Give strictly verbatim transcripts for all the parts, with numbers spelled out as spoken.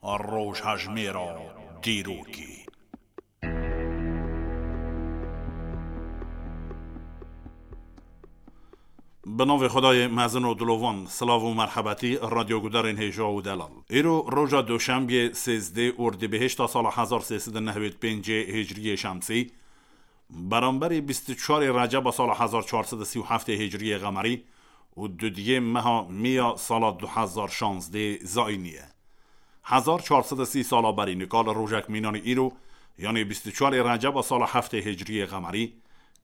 Rojhejmêra dîrokê. Bi navê Xwedayê mezin û dilovan, silav û merhebetî, radyogudarên hêja û delal. Îro roja Doşembiyê, sêzdeh Ordîbehişta sala hezar sê sed û nehwêd pêncê Hicriyê Şemsî, beramberî bîst û çarê Receba sala hezar çar sed û sî û heftê Hicriyê Qemerî û dudiyê meha Mîya sala du hezar şazdeh Zayînî ye. Hezar çar sed û sî sala berî nika li rojek mînanî îro, yanî bîst û çarê Receba sala heftê Hicriyê Qemerî,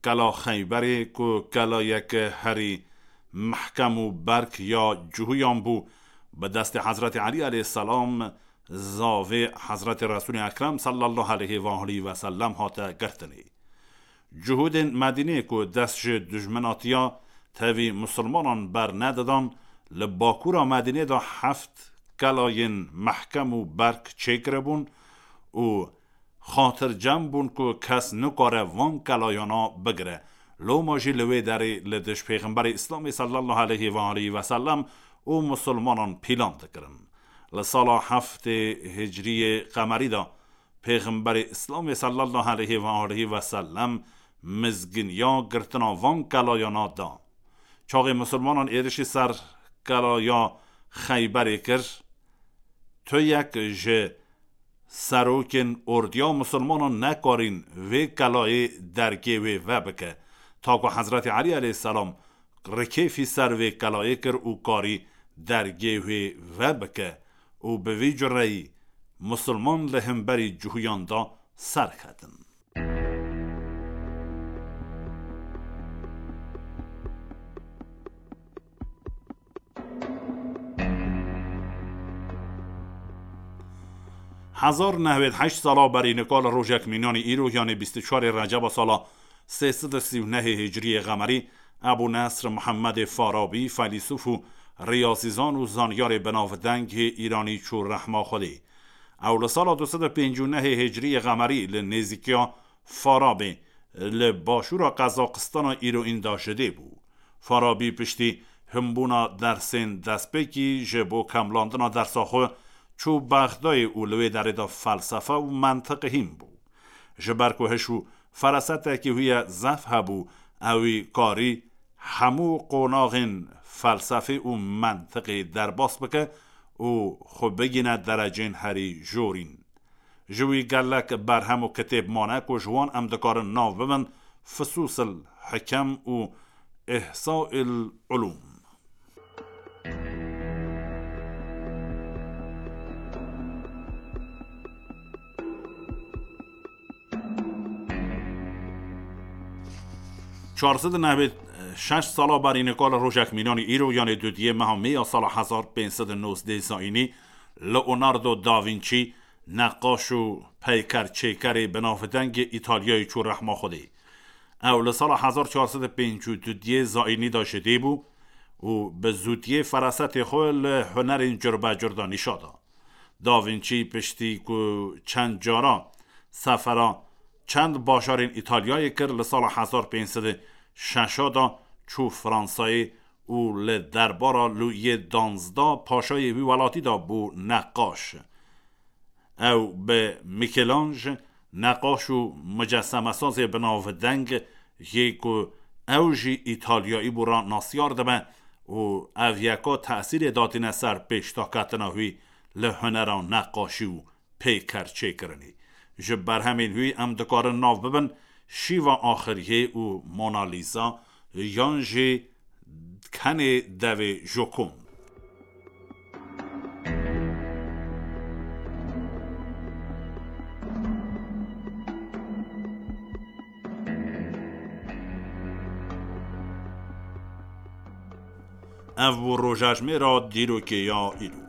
Kela Xeyberê ku kelayeke herî mehkem û berk ya Cuhuyan bû, bi destê Hezretî Elî aleyhisselam, zavê Hezretî Resûlê Ekrem sallallahu aleyhi ve aleyhi ve sellem hate girtinê. Cuhudên Medînê ku dest ji dijminatiya tevî misilmanan bernedadan, li bakûra Medînê de heft kelayên mehkem û berk çêkiribûn û xatircem bûn ku kes nikare van kelayana bigire. Loma jî li wê derê li dij Pêxemberê Îslamê sallallahu aleyhi ve aleyhi ve sellem û misilmanan pîlan dikirin. Li sala heftê Hicriyê Qemerî de Pêxemberê Îslamê sallallahu aleyhi ve aleyhi ve sellem mizginiya girtina van kelayana da. Çaxê misilmanan êrişî ser kelaya Xeyberê kir, tu yek ji serokên ordiya misilmanan nekarîn vê kelayê dergê wê vebike, ta ku Hezretî Elî aleyhisselam rikêfî ser vê kelayê kir û karî dergê wê vebike û bi vî cureyî misilman li hemberî Cuhuyan de serketin. Hezar nehwêd heşt sala berî nika li rojek mînanî îro, yanê bîst û çarê Receba sala sê sed û sî û nehê Hicriyê Qemerî, Ebû Nesr Muhemmedê Farabî, feylîsûf û riyazîzan û zanyarê binavdengê Îranî çû rehma Xwedê. Ew li sala du sed û pêncî û nehê Hicriyê Qemerî li nêzîkiya Farabê li başûra Qezaqistana îroîn de ji dê bû. Farabî piştî hinbûna dersên destpêkî ji bo kemlandina dersa xwe çû Bexdayê û li wê derê de felsefe û mentiq hîn bû. Ji ber ku hiş û ferasetekî wî ye zef hebû, ewî karî hemû qonaxên felsefê û mentiqê derbas bike û xwe bigîne derecên herî jorîn. Ji wî gelek berhem û kitêb mane ku ji wan em dikarin nav bibin Fususil Hikem û Ihsail Ulûm. Çar sed û nehwêd şeş sala berî nika li rojek mînanî îro, yanê dudiyê meha Mê ya sala hezar pênc sed û nozdeh Zayînî, Leonardo da Vinci, neqaş û peyker çêkerê binavdengê Îtalyayê çû rehma Xwedê. Ew li sala hezar çar sed û pêncî û dudiyê Zayînî de ji dê bû û bi zûtiyê ferasetê xwe li hunerên curbecur de nîşa da. Da Vinci piştî ku çend cara sefera çend bajarên Îtalyayê kir, li sala hezar pênc sed û şeş de çû Fransayê û li derbara Lûyê danzdeh paşayê wî welatî de bû neqaş. Ew bi Michelangelo, neqaş û mucesemesazê binavdeng, yê ku ew jî Îtalyayî bû, re nasyar dibe û ev yeka tesîrê datîne ser pêşdaketina wî li hunera neqaşî û pêker çêkirinê. Ji berhemên wî em dikarin nav bibin Şîva Axiriyê û Mona Lisa, yan jî Kenê Devê Jokond. Ev bû rojejmêra dîrokê ya îro.